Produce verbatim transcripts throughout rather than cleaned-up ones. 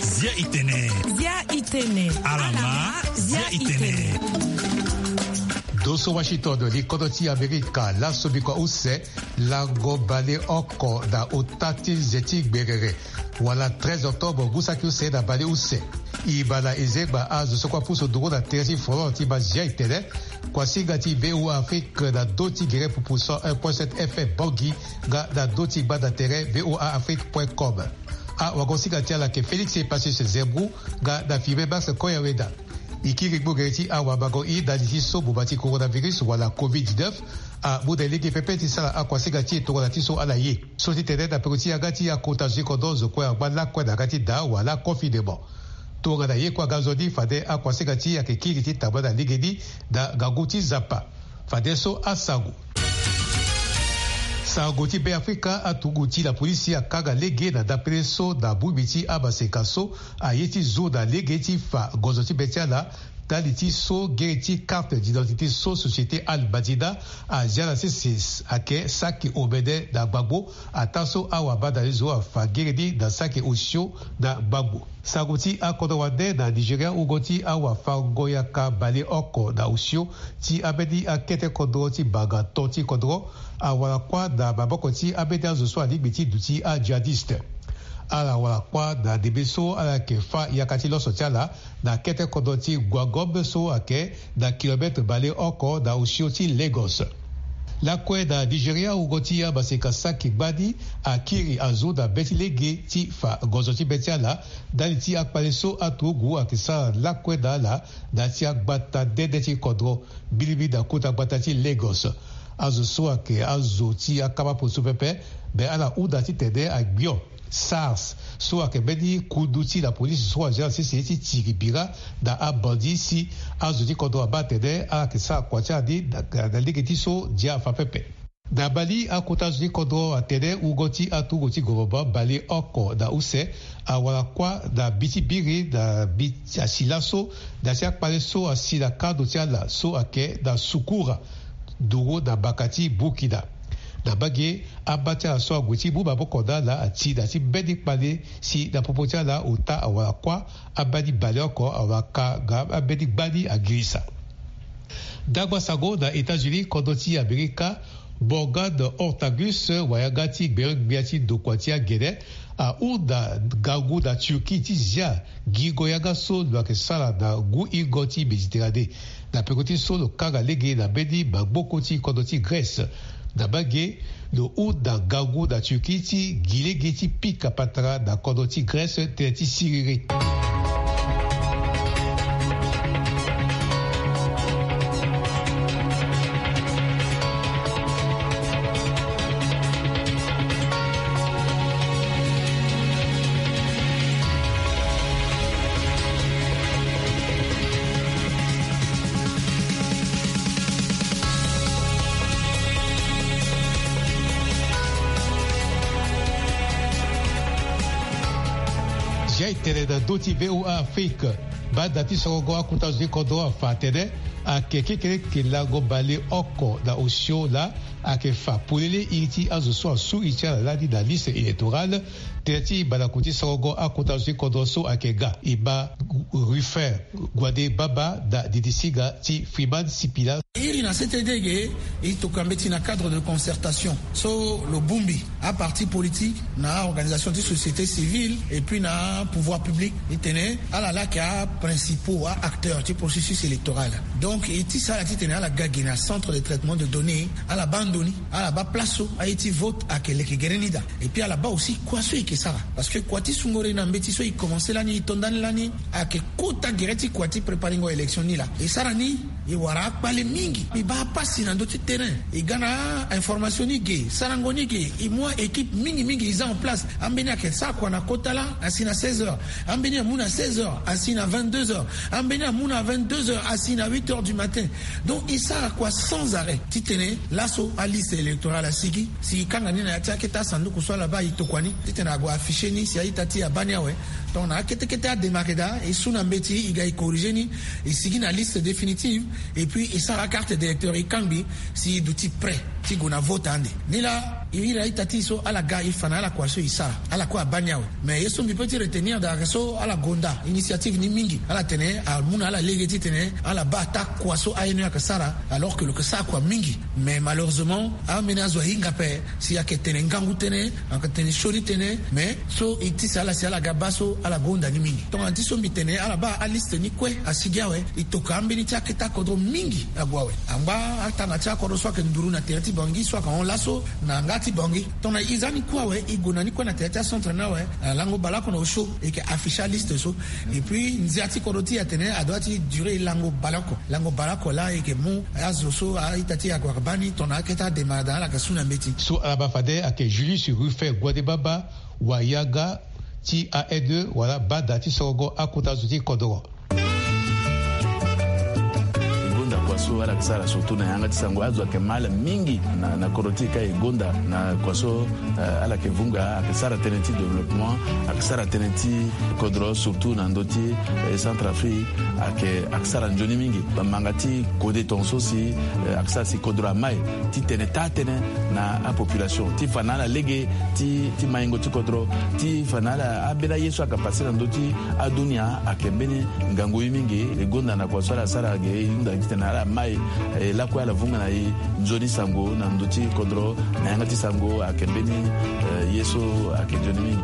Zia itene. Zia itene. Alama. Zia itene. Do so Washington, li kodro ti Amerika laso bikua use, lango baleoko na ota ti nze ti gberere, wala treize octobre ngu saki use na baleuse. E baa na e zengba azo so kue apusu nduru na tere ti folon ti Mazia itene. Kuasinga ti VOA Afrique na ndö ti gere pupu cent un point sept F M Bangui, nga na ndö ti gbanda tere VOA Afrique point com. Awagosinga ti ala ayeke Félix Epacius Zembrou, nga na filme Max Koyaweda. E kiri gbogere ti awamango i ndali ti so boma ti coronavirus wala covid dix-neuf amu na e lege pepe ti sara akuasinga ti e tongana ti so ala ye. So ti tene na peko ti yanga ti akota zo ti kodro, zo kue angba lakue na yanga ti daa wala confinement. Tongana ye kue aga nzoni, fade akuasinga ti e ayeke kiri ti tambula na legeni na ngangu ti Nzapa. Fadeso asango. Sango ti Beafrika, aturugu ti lapolisi akanga lege na ndapele so na bongbi ti amaseka so aye ti zu na lege ti fa gonzo ti be ti ala, ndali ti so gere ti carte d'identité so société Al Madina azia na sese ayeke saki omene na gbagbo, ataa so awabadani zo afa gere ni na saki osio na gbagbo. Sango ti akodro wande na Nigeria, wungo ti awafango-yaka baleoko na osio ti ambeni akete kodro ti banga to ti kodro awara kuâ na maboko ti ambeni azo so alingbi ti duti ajihadiste. Ala wara kuâ na ndembe so ala yeke fâ yaka ti loso ti ala na kete kodro ti Gwagom so ayeke na kilomètre baleoko na osio ti Lagos. Lakue na Nigeria, wungo ti amaseka saki gbani akiri azo na be ti lege ti fa gonzo ti be ti ala, ndali ti akpale so aturugu ayeke sara lakue na ala na ya ti agbata nde nde ti kodro, mbilimbili na kota gbata ti Lagos. Azo so ayeke azo ti akama poso pepe, me ala hunda titene agbio SARS so ayeke mbeni kundu ti lapolisi so azia na sese ti tiri bira na abandi si azo ti kodro abaa atene ala yeke sara kua ti ala ni na, na lege ti so dia afa pepe. Na Mali, akota zo ti kodro atene wungo ti aturugu ti gouvernement baleoko na use awara kuâ na mbi ti biri na mbi ti asi laso, na ya ti akpale so asi na kando ti ala so ayeke na Sukura, nduru na mbaka ti Burkina. Na mbage, amba ti ala so ague ti mu maboko na ala ati na ya ti mbeni kpale si na popo ti ala ota awara kuâ, ambeni baleoko awaka nga ambeni gbani agirisa. Ndangba sango na États-Unis, kodro ti Amerika, Morgan Ortagus, wayanga ti gberengbia ti ndokua ti agene, ahunda ngangu na Turquie ti zia gingo yanga so lo yeke sara na ngu hingo ti Méditerranée. Na peko ti so lo kanga lege na mbeni maboko ti kodro ti Grèce. Na mbage, lo hunda ngangu na Turquie ti gi lege ti pika patara na kodro ti Grèce tënë ti siriri. Zia e tene na ndö ti VOA Afrique. Banda ti sorongo, akota zo ti kodro afa atene ayeke kekereke lango baleoko na osio laa ayeke fa polele iri ti azo so asu iri ti ala lani na liste électorale. Tënë ti balaku ti sorongo akota zo ti kodro so ayeke ga e ma Ruffin Guadé Baba na didi singa ti Freeman Sipila. Iri na C T D ge, e tokua mbeti na cadre de concertation so lo bongbi aparti politique na organisation ti société civile et puis na pouvoir public, e tene ala laa ayeke aprincipaux a-acteurs ti processus électoral. Donc e tisa ala titene ala ga gi na centre de traitement de données, ala baa ndo ni, ala baa place so aye ti vote ayeke leke gere ni daa. Et puis ala baa aussi kua so e yeke sara, parce que kua ti sungore na mbeti so e commencé lani, e to ndani lani, ayeke kota gere ti kua ti préparengo élection ni laa. E sara ni, e wara akpale mingi, e baa pasi na ndö ti terrain, e ga na information ni ge, sarango ni ge, e mu a-équipe mingi mingi e za en place. Ambeni ayeke sara kua na kota laa asi na seize heures, ambeni amu na seize heures asi na vingt-deux heures, ambeni amu na vingt-deux heures asi na huit heures du matin. Donc e sara kua sans arrêt titene laso aliste électorale asigi, si e kanga ni na ya ti akete asanduku so ala baa e tokua ni titene ague afficher ni si a-ita ti e abaa ni awe. Donc na akete kete adémarrer daa, e su na mbeti, e ga e corriger ni, e sigi na liste définitive, et puis e sara acarte d'électeur, e kangbi si e duti prêt. ti gue na vote ande. Nilaa e iri a-ita ti e so ala ga e fa na ala kua so e sara, ala kue abaa ni awe. Mais ye so mbi peut ti retenir daa ayeke so ala gonda initiative ni mingi. Ala tene amu na ala lege titene ala baa ataa kua so aye ni ayeke sara, alors que lo yeke sara kua mingi. Mais malheureusement ambeni azo ahinga ape, si ayeke tene ngangu tënë, ayeke tene sioni tënë. Mais so e tisa ala si ala ga baa so ala gonda ni mingi. Tongana ti so mbi tene ala baa aliste ni kue asigi awe. E toka ambeni ti akete akodro mingi ague awe. Angba atanga ti akodro so ayeke nduru na tere ti Bangui so ayeke hon laso na yanga ti Bangui. Tongana e za ni kue awe, e gue na ni kue na tere ti acentre ni awe, na lango baleoko na osio e yeke afficher aliste so. Et puis ndia ti kodro ti e atene adoit ti durer lango baleoko. Lango baleoko laa e yeke mu azo so a-ita ti e ague ayeke baa ni tongana akete ademara daa ala yeke su na mbeti. So ala baa fade ayeke Julius Rufin Guadebaba, wayanga ti A N E wala bada ti sorongo akota zo ti kodro. E gonda kua so ala yeke sara surtout na yanga ti sango. Azo ayeke mal mingi na, na kodro ti e ka e gonda na kua so, eh, ala yeke vunga, ayeke sara tënë ti développement, ayeke sara tënë ti kodro surtout na ndö ti, eh, Centrafrique. Ayeke, ayeke sara nzoni mingi. Bamanga ti kode tongaso si, eh, ayeke sara si kodro amai ti tene taa tënë na apopulation ti fa na ala lege ti, ti maingo ti kodro, ti fa na ala ambeni aye so ayeke pase na ndö ti adunia. Ayeke mbeni ngangu ye mingi. E gonda na kua so ala sara ge e hunda titene ala mai, eh, lakue ala vunga na e nzoni sango na ndö ti kodro na yanga ti sango. Ayeke mbeni, eh, ye so ayeke nzoni mingi.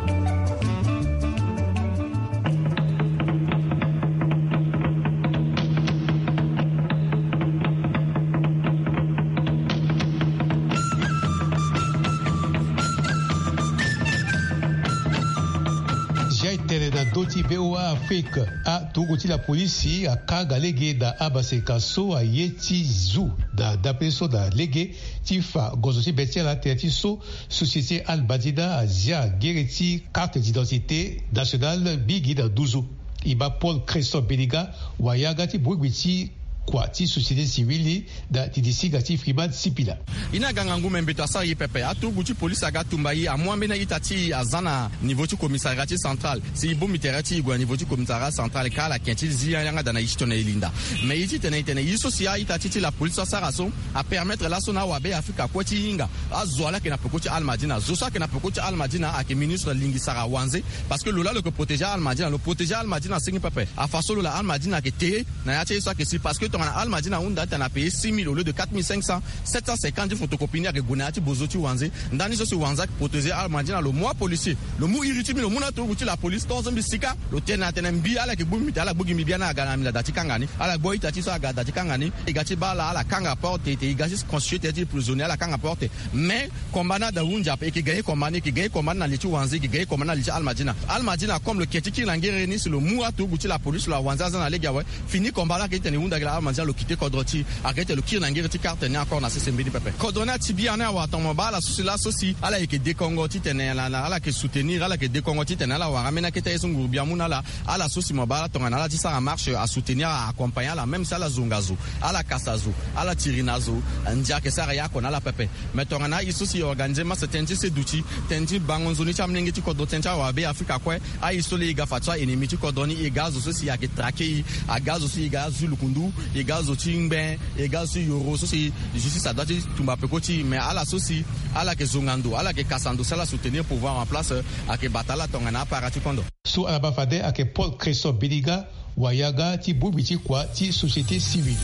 Zia e tene na ndö ti V O A Afrique, aturugu ti lapolisi akanga lege na amaseka so aye ti zu na ndapele so na lege ti fa gozo ti be ti ala tene ti so société Al Madina azia ngere ti carte d'identité nationale mingi na nduzu. E baa Paul Cresson Beniga, wayanga ti bongbi ti kua ti société civile ni na didi singa ti Freeman Sipila. E ni aga ngangu me mbeto asara e pepe. Aturugu ti polisi aga tumba e, amu ambeni a-ita ti e aza na niveau ti commissariat ti central. Si e bongbi tere ti e gue na niveau ti commissariat central ka ala ken ti zi yanga daa na e ti tongana e linda. Mais e ti tene e tene e so si a-ita ti e ti lapolisi so asara so apermettre laso na awabe Afrika kue ti hinga azo ala yeke na peko ti Al Madina. Zo so ayeke na peko ti Al Madina ayeke ministre Lingisara Wanze. Parce que lo laa lo yeke protéger Al Madina, lo protéger Al Madina asengi pepe. Afa so lo laa Al Madina ayeke te na ya ti aye so ayeke si. Parce que tongana Al Madina ahunda atene apayer six mille au lieu de quatre mille cinq cents, sept cent cinquante ti photocopie ni ayeke gue na ya ti bozo ti Wanze. Ndani so si Wanze ayeke protéger Al Madina, lo mu apolisier, lo mu iri ti mbi, lo mu na aturugu ti lapolisi tongaso mbi sika. Lo tene atene mbi ala yeke gbu mbi te, ala gbu gi mbi biani aga na mbi na da ti kanga ni. Ala gbu a-ita ti e so aga da ti kanga ni. E ga ti baa ala, ala kanga porte te, e ga ti constituer tene ti prisonnier, ala kanga porte. Mais combat ni ada hunzi ape, e yeke gagner combat ni, e yeke gagner combat ni na li ti Wanze, e yeke gagner combat ni na li ti Al Madina. Al Madina comme lo ke ti kiri na ngere ni si lo mu aturugu ti lapolisi, lo awanze aza na lege awe. Fini combat la, ayeke ti tene e hunda gi laa Al Madina lo quitter kodro ti e, ayeke ti tene lo kiri na ngere ti carte ni encore na sese mbeni pepe. Kodro ni ati biani awa, tongana mo baa ala so si laso si ala yeke dekongo ti tene ala, ala yeke soutenir, ala yeke dekongo ti tene ala wara ambeni akete aye so nguru bia amu na ala. Ala so si mo baa ala tongana ala ti sara marche asoutenir, a accompagner ala, même si ala zonga zo, ala kasa zo, ala tiri na zo, ndia ayeke sara ye oko na ala pepe. Mais tongana aye so si e organiser masse tënë ti seduti, tënë ti bango nzoni ti amolenge ti kodro, tënë ti awabe Afrika kue, aye so laa e ga fadeso a-ennemi ti kodro ni, e ga azo so si ayeke traquer e, aga azo so e ga azo ti lukundu, e ga azo ti ngben, e ga azo ti yoro so si justice adoit ti tumba peko ti e. Mais ala so si ala yeke zonga ndo, ala yeke kasa ndo si ala soutenir pouvoir en place, ayeke bata ala tongana apara ti kondo. So ala baa fade ayeke Paul Cresson Beniga, wayanga ti bongbi ti kua ti société civile.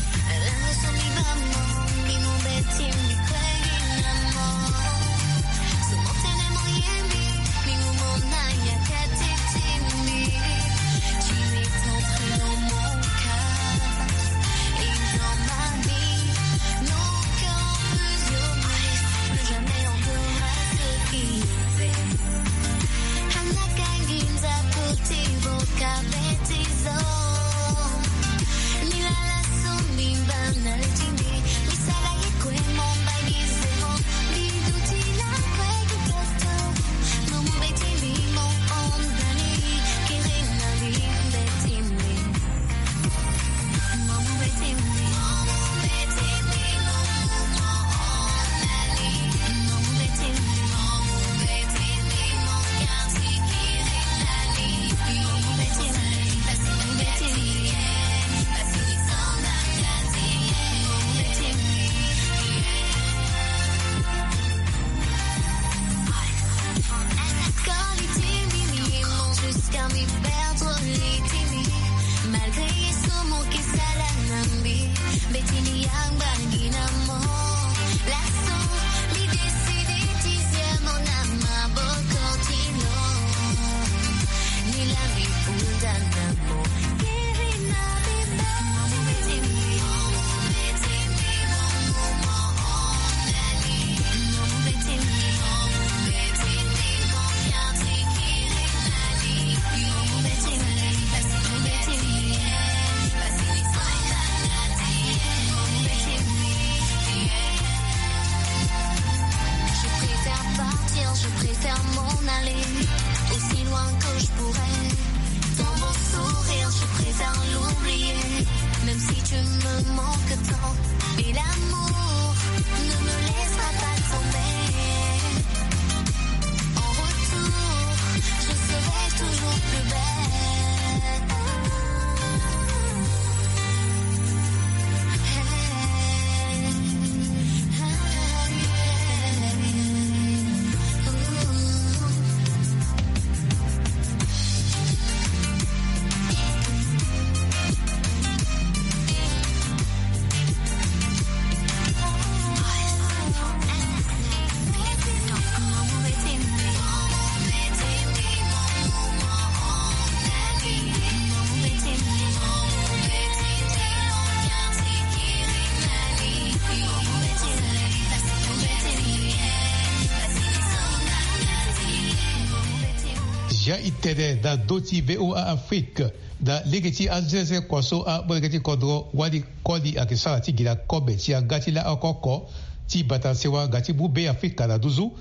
Ya e tene na ndö ti VOA Afrique, na lege ti azeze kua so amolenge ti kodro wali koli ayeke sara ti gi na kobe ti aga ti laoko oko ti bata sewa nga ti mu Be Afrika na nduzu.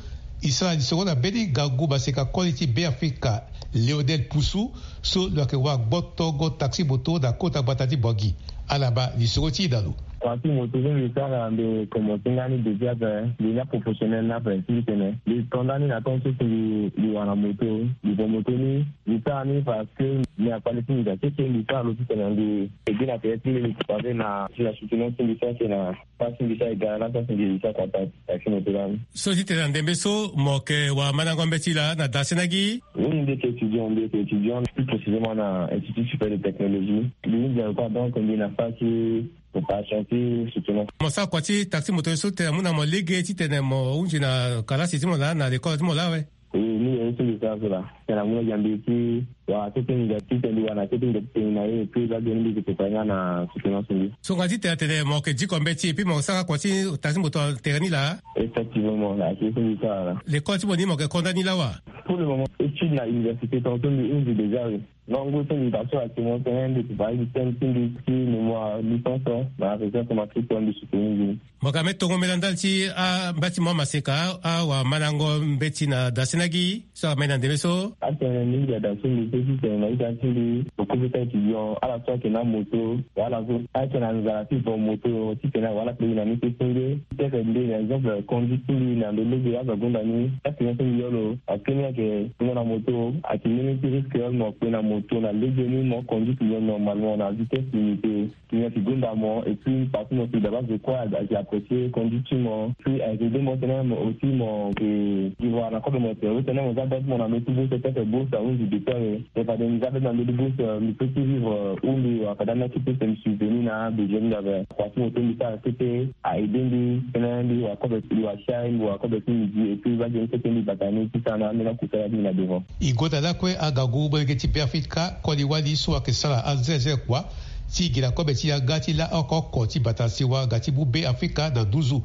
E sara lisoro na mbeni ngangu maseka koli ti Be Afrika, Lionel Poussou, so lo yeke wara gbotongo taxi moto na kota gbata ti Bangui. Ala baa lisoro ti e na lo. Taxi moto so mbi sara mbi komanse nga ni depuis ape, mbi nga professionnel ni ape, si mbi tene mbi to ndani na temps so si mbi wara moto, mbi vo moto ni, mbi sara ni parce que mbi na kpale ti mbi daa keke, mbi sara lo titene mbi ede na tere ti mbi, mbi pase na, na soutenance ti mbi so ayeke na pasi mbi so aye ga na pasi mbi sa kata taxi moto lani. So titene na ndembe so mo yeke wara mandango mbeti laa na dasena gi? Oui, mbi yeke étudiant, mbi yeke étudiant, plus précisément na Institut supérieur de technologie. Mbi hunda kua, donc mbi na pasi préparation ti soutenance. Mo sara kua ti taxi moto so tene amu na mo lege titene mo hunzi na kalasi ti mo laa na lekole ti mo laa awe? E, ni ye so mbi sara so laa. Tene amu na gi na mbi ti wara kete mbi ga ti tene mbi wara na kete mbi ga ti tene na ye, et puis laa ge ni mbi yeke prépare nga na soutenance mbi. So nga titene atene mo yeke diko mbeti et puis mo sara kua ti taxi moto na tere ni laa? Effectivement, ayeke ye so mbi sara laa. Lekole ti mo ni mo yeke ko ndani laa wa? Pour le moment, étude na université tongaso mbi hunzi déjà, oui. Ngangu so mbi baa so ayeke mo tene mbi prépare système ti mbi ti mémoire licence na recherche matrice, mbi soutenir mbi. Mo yeke ambeni tongombe na ndali ti ambati mo amaseka, awara mandango mbeti na dasena gi so ayeke mai na ndembe so? Atene mingi ada so mbi pe titene na ita ti mbi, lo kue pe ti étudiant, ala so ayeke na moto, wala so ayeke na nzara ti vo moto titene awara ala pe gi na ni ti senge. Peut-être mbi na exemple conduite ti mbi na ndo lege azo agonda ni, accident so mbi yo lo, parce que ni ayeke tongo na moto ayeke mbeni ti risque, mo kpe na moto na lege ni mo conduite yo normalement na vitesse limitée. Tongana ti gonda mo, et puis parti mo si daba zo kue ayeke apprécier conduite ti mo. Puis ayeke aidé mo tene mo aussi mo yeke vivre na kobe mo tene, tene mo za bête mo na ndo ti bourse, peut-être bourse ahunzi depuis awe. Mais fade mbi za bête na ndo ti bourse, mbi peut ti vivre, ou mbi wara fade ana ti bourse mbi subvenir na besoin ti mbi ape. Parti mo so mbi sara kete a aidé mbi tene mbi wara kobe, mbi wara chai, mbi wara kobe ti midi, et puis va geni kete mbi bata ni ti sara na ambeni akusala ti mbi na devant. E gonda lakue angangu molenge ti Beafrika koli wali so ayeke sara anzerzer kua ti gi na kobe ti yanga ti la oko oko ti bata sewa nga ti mu Beafrika na nduzu.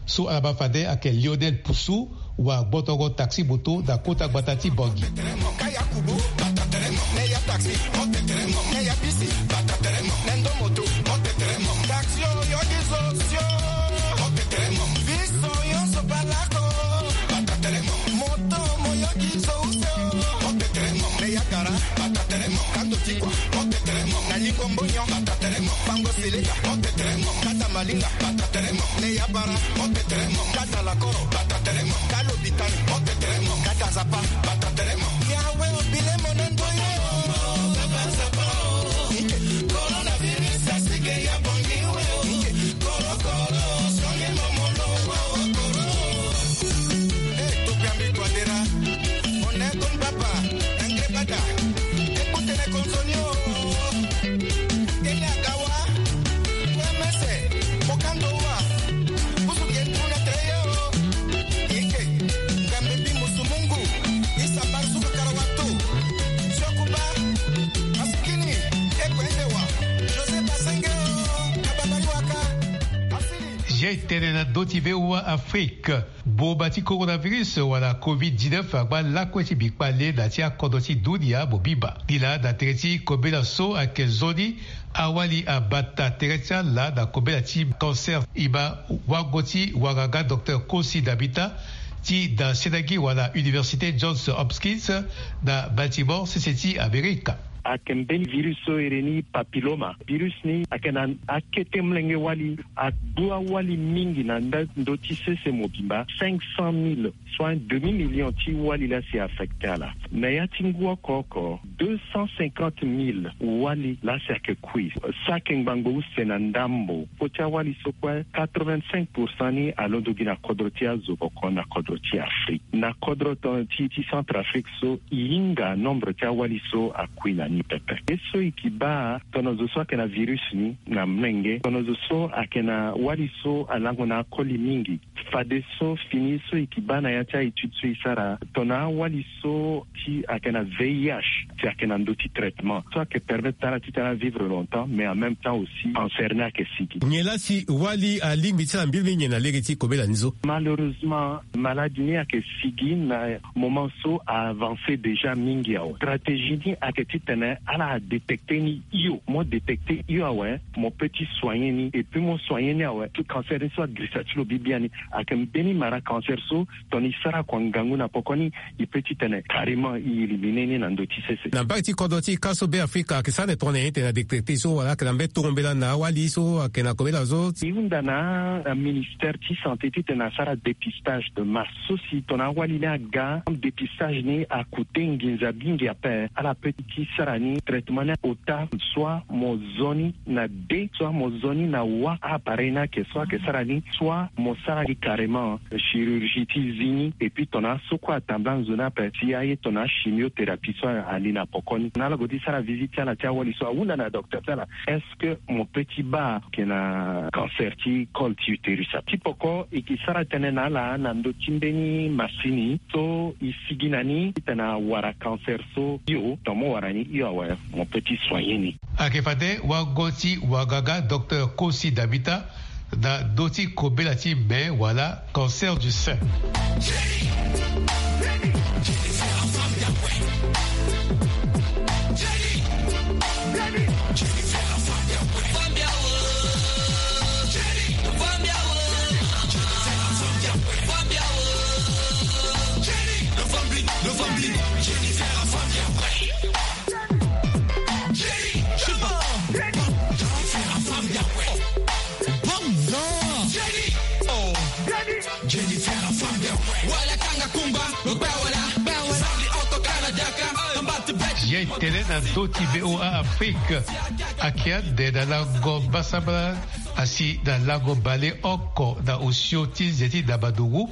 So ala baa fade ayeke Lionel Poussou, wara gbotongo taxi moto na kota gbata ti Bangui. Moto moyoki zo use o. Mo petere mo. Me ya kara. Bata tere mo. Kando ti kua. Mo petere mo. Na lingo mbonyo. Bata tere mo. Bango seleka. Mo petere mo. Kata malinga. Bata tere mo. Me ya bara. Mo petere mo. Kata lakoro. Bata tere mo. Kalo bitani. Mo petere mo. Kata zapa. Bata tere mo. Yawe obile mo na ndoye. Ike. Coronavirus asike ya bongi we. Ike. José Basengeo, Kababari Waka. Jai tene na ndö ti VOA Afrique. Boma ti coronavirus wala covid dix-neuf angba lakue ti mbi kpale na ti akodro ti dunia mobimba. Nilaa na tere ti kobela so ayeke nzoni, awali abata tere ti ala na kobela ti cancer. E ma wango ti wanganga docteur Kosi Dabita ti da senagi wala Université Johns Hopkins na Baltimore, sese ti Amerika. Ayeke mbeni virus so ere ni papilloma. Virus ni ayeke na akete molenge wali, agbu awali mingi na nda ndö ti sese mobimba. Cinq cent mille, soit un demi-million ti wali laa si affecté ala. Na ya ti ngu oko oko, deux cent cinquante mille wali laa si ayeke kui. So ayeke ngbangbo use na ndambo. Kpo ti awali so kue, quatre-vingt-cinq pour cent ni alondo gi na kodro ti azo boko na kodro ti Afrique. Na kodro ti, ti Centrafrique so, e hinga nombre ti awali so akui na ni. Ni pepe. Ye so e ke baa, tongana zo so ayeke na virus ni na mlenge, tongana zo so ayeke na wali so alango na akoli mingi. Fadeso fini so e ke baa na ya ti a-étude so e sara, tongana awali so ti ayeke na V I H, ti ayeke na ndö ti traitement so ayeke permettre ti ala ti tena vivre longtemps, mais en même temps aussi cancer ni ayeke sigi. Nyen laa si wali alingbi ti ala mbirimbiri nyen na lege ti kobela ni so? Malheureusement, maladie ni ayeke sigi na moment so a-avancer déjà mingi awe. Stratégie ni ayeke titene ala adétecter ni hio. Mo détecter hio awe, mo peut ti soigner ni, et puis mo soigner ni awe, ti cancer ni so agirisa ti lo bibi ani. Ayeke mbeni mara cancer so, tongana e sara kua ngangu na poko ni, e peut titene carrément e éliminer ni na ndö ti sese. Na mbage ti kodro ti e ka so Beafrika, ayeke sara ande tongana nyen titene adétecter so, wala ayeke na mbeni tongo mbela na awali so ayeke na kobela so? E hunda na, na ministère ti santé titene asara dépistage de masse. So si tongana awali ni aga, dépistage ni akute nginza mingi ape. Ala peut ti sara ni traitement ni ota, soit mo zo ni na de, soit mo zo ni na wa appareil ni ayeke so ayeke sara ni, soit mo sara ni carrément chirurgie ti zi ni. Et puis tongana so kue atambula nzoni ape, si aye tongana chimiothérapie so ali na poko ni, na ala gue ti sara visite ti ala ti awali so, ahunda na docteur ti ala, est-ce que mo peut ti baa ayeke na cancer ti col ti utérus ape? Ti poko e ke sara tënë na ala na ndö ti mbeni masini so e sigi na ni titene awara cancer so hio. Tongana mo wara ni hio awe, mo peut ti soigner ni. Ayeke fade wago ti wagaga, docteur Kosi Dabita, na ndö ti kobela ti me wala cancer du sein. Ye tene na ndö ti V O A Afrique. Ayeke ande na lango mbasambala, asi na lango baleoko na osio ti nze ti Dabadougou,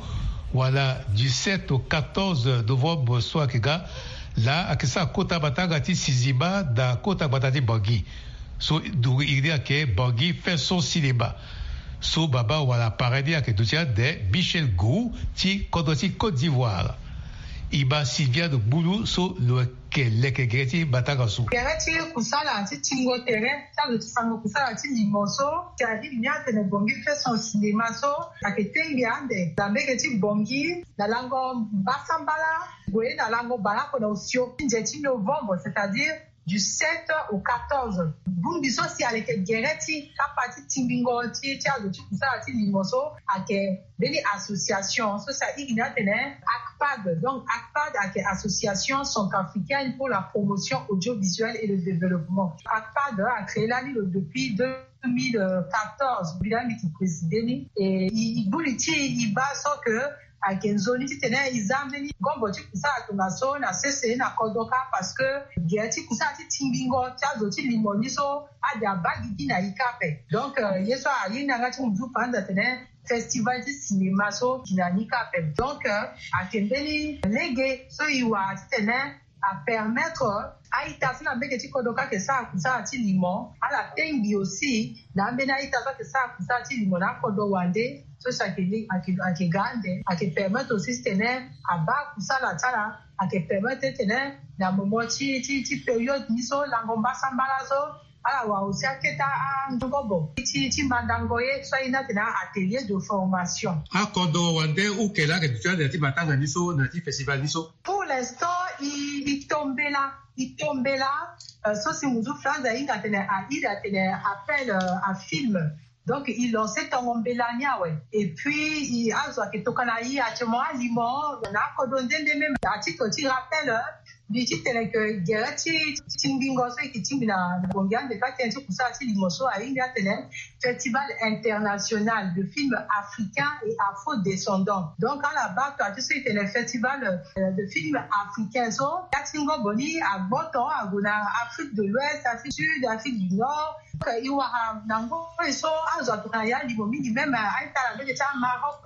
wala dix-sept au quatorze novembre so ayeke ga. Laa ayeke sara kota matanga ti sinzima na kota gbata ti Bangui. So nduru iri ni ayeke Bangui Fin Son Cinéma. So baba wala parrain ni ayeke duti ande Michel Gou ti kodro ti Côte d'Ivoire. E ma Sylviane Gbulu so lo yeke leke gere ti matanga so. Gere ti kusala ti tingo tere ti azo ti sango kusala ti limo so, si alingbi ni atene Bangui Fin Son Cinéma so ayeke tengbi ande na mbage ti Bangui na lango mbasambala gue na lango baleoko na osio ti nze ti novembre, c'est-à-dire du sept au quatorze. Bongbi so si aleke gere ti kapa ti tingbingo ti, ti azo ti kusala ti limo so ayeke mbeni association so si airi ni atene ACPAD. Donc ACPAD ayeke Association Centrafricaine pour la Promotion Audiovisuelle et le Développement. ACPAD acréé lani lo depuis deux mille quatorze, mbi laa mbi yeke préside ni. E, e, e gbu li ti e, e baa so que ayeke nzoni titene e za mbeni ngombo ti kusala tongaso na sese na kodro kâ, parce que gere ti kusala ti tingbingo ti azo ti limo ni so ade abaa gigi na e kâ ape. Donc, euh, ye so aye ni na yanga ti muzu faranza atene festival ti cinéma so gi na ni kâ ape. Donc, euh, ayeke mbeni lege so e wara titene apermettre a-ita so na mbage ti kodro kâ ayeke sara kusala ti limo, ala tengbi aussi na ambeni a-ita so ayeke sara kusala ti limo na akodro wande. So si ayeke, ayeke, ayeke ga ande, ayeke permettre aussi titene abaa kusala ti ala, ayeke permettre titene na moment ti, ti, ti période ni so lango mbasambala so, ala wara aussi akete angobo ti, ti mandango ye so aye ni atene atelier de formation. Akodro wande uke laa ayeke duti ande na ti matanga ni so na ti festival ni so. Pour l'instant, e, e tombela, e tombela, euh, so si muzu faranza ahinga atene, airi atene appel, euh, à film. Donc e lancer tongo mbela ni awe. Et puis e, azo ayeke tokua na e actuellement alimo na akodro nde nde même. À titre ti rappel, euh, mbi ti tene que gere ti, ti tingbingo so e yeke tingbi na, na Bangui ande kâ tënë ti kusala ti limo so ahinga atene Festival international de films africains et afro-descendants. Donc ala baa tua ti so e tene festival, euh, de films africains so, ya ti ngombo ni agboto ague na Afrique de l'Ouest, Afrique du Sud, Afrique du Nord, Donc, e wara na ngoi so azo atokua na ya limo mingi, même a-ita na mbege ti Maroc,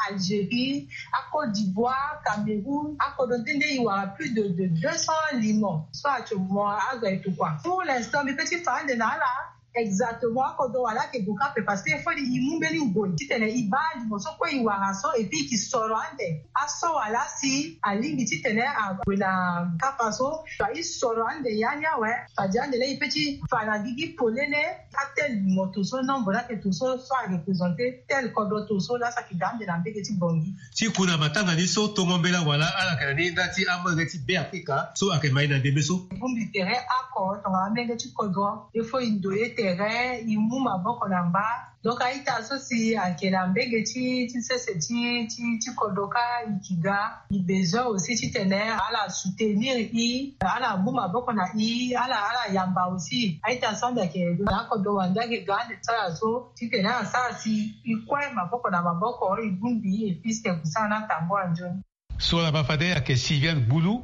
Algérie, a Côte d'Ivoire, Cameroun, akodro nde nde e wara plus de, de deux cents limo so actuellement azo atokua. Pour l'instant mbi pe ti fa ande na ala exactement akodro wala ayeke gue kâ ape, parce que il faut e mu mbeni ngoi titene e baa limo so kue e wara so, et puis e ke soro ande aso wala si alingbi titene ague na kapa so. E soro ande ya ni awe. Fade ande laa e pe ti fa na gigi polele, a tel moto so, nombre laa ayeke to so, so areprésenter tel kodro to so laa so ayeke ga ande na mbege ti Bangui. Ti ku na matanga ni so tongo mbela wala ala yeke na ni nda ti amolenge ti Beafrika so ayeke ma e na ndembe so. E bongbi tere oko tongana amolenge ti kodro, il faut e ndoye tere, e mu maboko na mba. Donc a-ita so si ayeke na mbege ti, ti sese ti, ti, ti kodro kâ e ke ga. E besoin aussi titene ala soutenir e, ala mu maboko na e, ala, ala yamba aussi. A-ita so ande ayeke na akodro wande ayeke ga ande ti ala so titene asara si e kue maboko na maboko, e bongbi e, puisque e ke sara na tambula nzoni. So ala ma fade ayeke Sylviane Gbulu,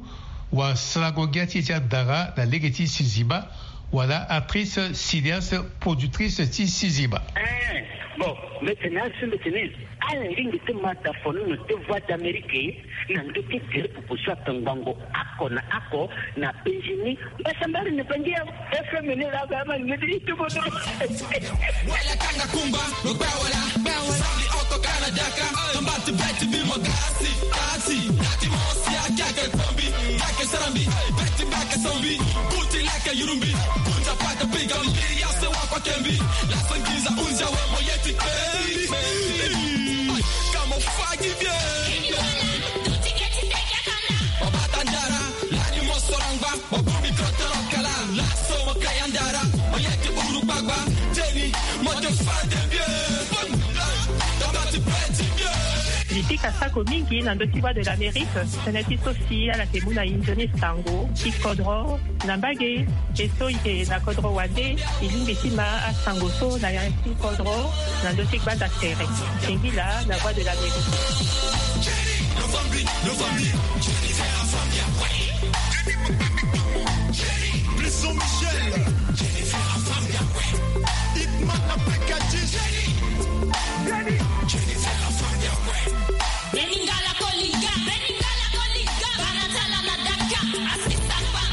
wasarango ngia ti e ti adara na lege ti Sizima, wala actrice, cinéaste, productrice ti Sizima. Eh, bon, mbi tene asi, mbi tene ala lingbi ti ma ta fonono ti Voix d'Amérique na ndö ti gere popo so atongbango oko na oko na Benjini. Mbasambari ni bangi ya F M ni la ba ma ni di tubo do. Wala kanga kumba, lo ba wala, ba wala. Sali oko kana daka, kamba ti beti bi mo gasi, gasi. Nati mo si a kake kombi, kake sarambi, beti bake sombi. Kuti lake yurumbi, kunja pata piga mbi, ya se wa kwa kembi. La sangiza unja we mo yeti kembi. Kamo fagi bien. Obata ndara, lani mo sorangba, obumbi kotoro kala, laso mo kayandara, oyeke uru gbagba, teni, mo ke fade bien. Tabati peti bien. Mbi pika sako mingi na ndö ti Voix de l'Amérique, tënë ti so si ala yeke mu na e nzoni sango ti kodro. Na mbage, e so e yeke na kodro wande, e lingbi ti ma asango so na ya ti kodro na ndö ti gbanda tere. Singila na Voix de l'Amérique. Blesson Michel. Hitman na P K G. Beningala kolinga, beningala kolinga, banatala na daka, asisapa,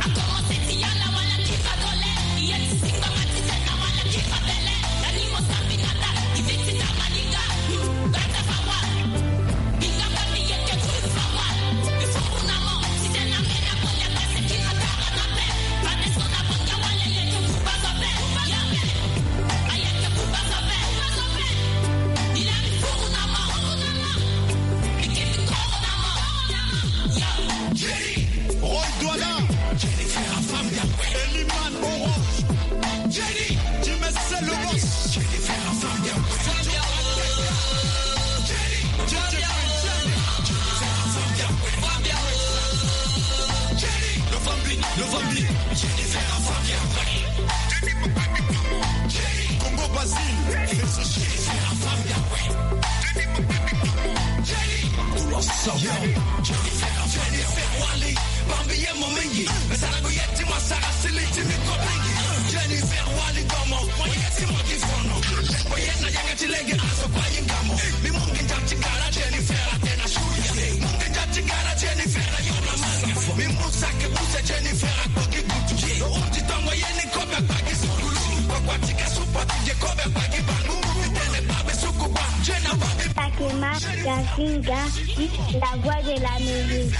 akomose ti yala wala kifa dole, iye ti singa matite na wala kifa bele, animo sapinata, iviti na malinga, bata fawa, binga papi yeke kuru fawa, ifuku na mo, tite na mena kolia base kina tara na pe, bate so na banga wale yeke kuba zobe, ya me, ayeke kuba zobe, kuba zobe. Roy Douala, Eliman Orange, Jimmy c'est le boss. Congo Basile. Bambi ye mo mingi, me sara go ye ti mo sara sili ti mi ko mingi. Jennifer Wali Gomo, mo ye ti mo di fono. Mo ye na yanga ti lege aso kwa yinga mo. Mi mungi nja ti gara Jennifer atena shuya. Mungi nja ti gara Jennifer ayona manga. Mi musa ke use Jennifer akpoki butu. Lo uti tongo ye ni kobe akpaki sukulu. Kwa kwa tika supa ti je kobe akpaki bangu. Tene babe suku ba. Jena babe. Fatima Gazinga, la voix de l'Amérique.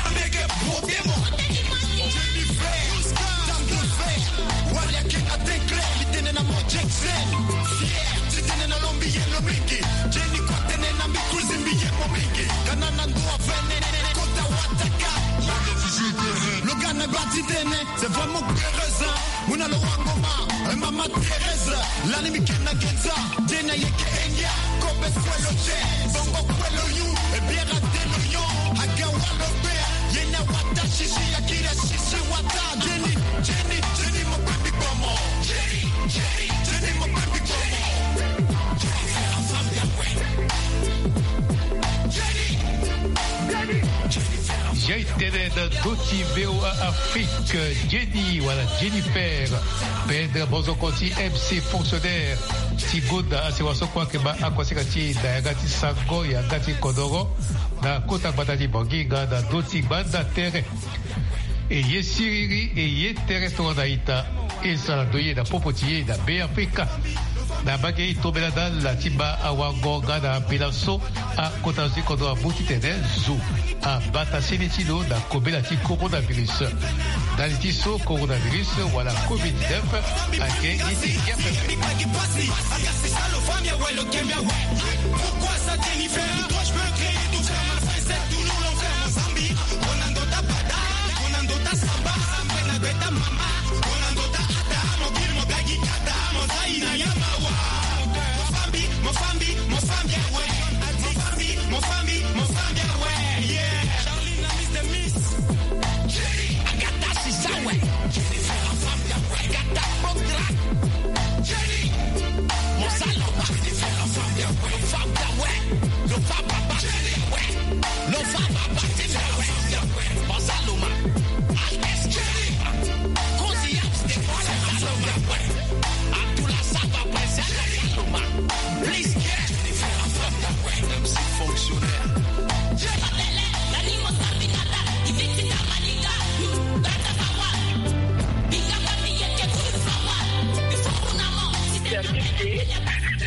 C'est vraiment heureuse, hein. Muna lo wangoma, eh, Mama Thérèse, lani mi kena genza, dena yeke engia, kope kwelo je, bongo kwelo yu, e biera de lo yo, aga walo be, yena wata shishi, akira shishi wata, Jenny, Jenny, Jenny mo baby bomo, Jenny, Jenny, Jenny mo baby bomo. Jenny, Jenny, Jenny. J'ai été Doti V O A Afrique, Jenny wala Jennifer, pedre bozoko ti M C fonctionnaire ti gonda asewa so kue ayeke baa akuasinga ti e na yanga ti sango yanga ti kodoro na kota gbata ti Bangui nga na ndö ti gbanda tere. E ye siriri, e ye tere tongana ita. E sara ndo ye na popo ti e na Beafrika. Na mbage e tombela na ala ti baa awango nga na mbela so akota zo ti kodro amu titene zo abata sene ti lo na kobela ti coronavirus. Ndali ti so coronavirus wala covid dix-neuf ayeke ye ti gia pepe.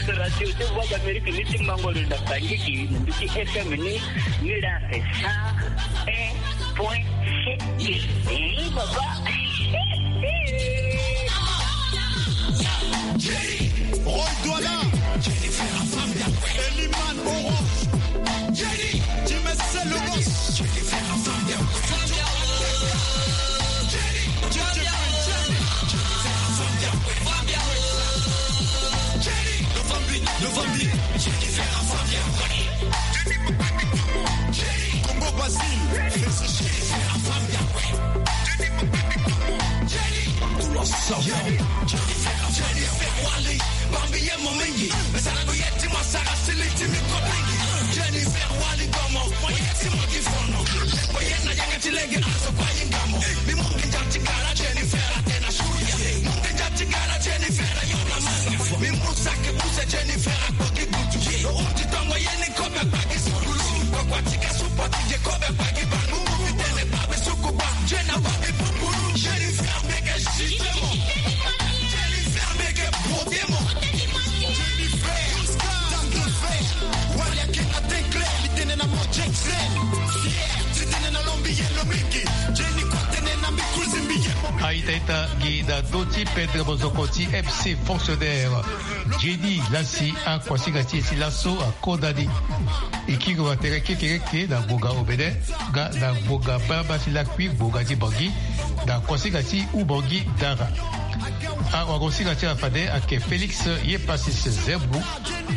Radio de Voix d'Amérique ni ti mango lo na Bangui, na mbi ti F M ni, ni la c'est cent un point sept. Eh, baba. Roy Douala, Eliman Orange, Jimmy Logos. Congo Basile. Jennifer Wali, bambi ye mo mingi. Mesana go ye ti mo sara sili ti mi ko mingi. Jennifer Wali, domo mo ye ti mo gi fono. Mo ye na yanga ti lege azo kua yinga mo. Mi mungi nja ti gara Jennifer atena shuya. Mungi nja ti gara Jennifer ayo na manga. Mi musa ke use Jennifer akpoki butu. Lo uti tongo ye ni kobe kpaki sukulu. Kokua ti ka supo ti je kobe kpaki bangu. Mi tene babi suku ba. Jena babi pupulu. Jennifer meke jitemo. Jennifer meke problemo. Jennifer, tango fe. Wali ake na tenkle. Mi tene na mo Jackson. Fier. Ti tene na lombi ye lo mingi. Jenny kotene na mi kuzi mbi ye mo. Aita ita gi na ndö ti pedre mozoko ti M C fonctionnaire. Jenny la si akuasinga ti e ti laso akonda ni. E kiri wa tere kekereke na ngbonga Obene nga na ngbonga Bamba ti Lakui, ngbonga ti Bangui, na kuasinga ti Ubangui Dara. Awagosinga ti ala fade ayeke Félix Yepasis Zembu.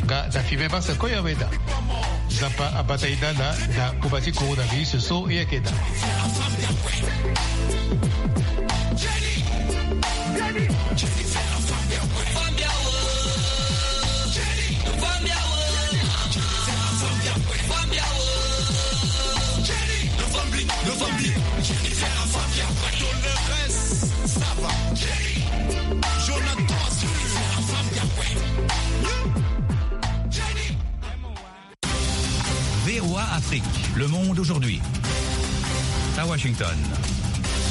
Nga na fimem ase koya weda. Nzapa abata e na ala na koma ti coronavirus so e yeke daa. V O A Afrique, le monde aujourd'hui. À Washington.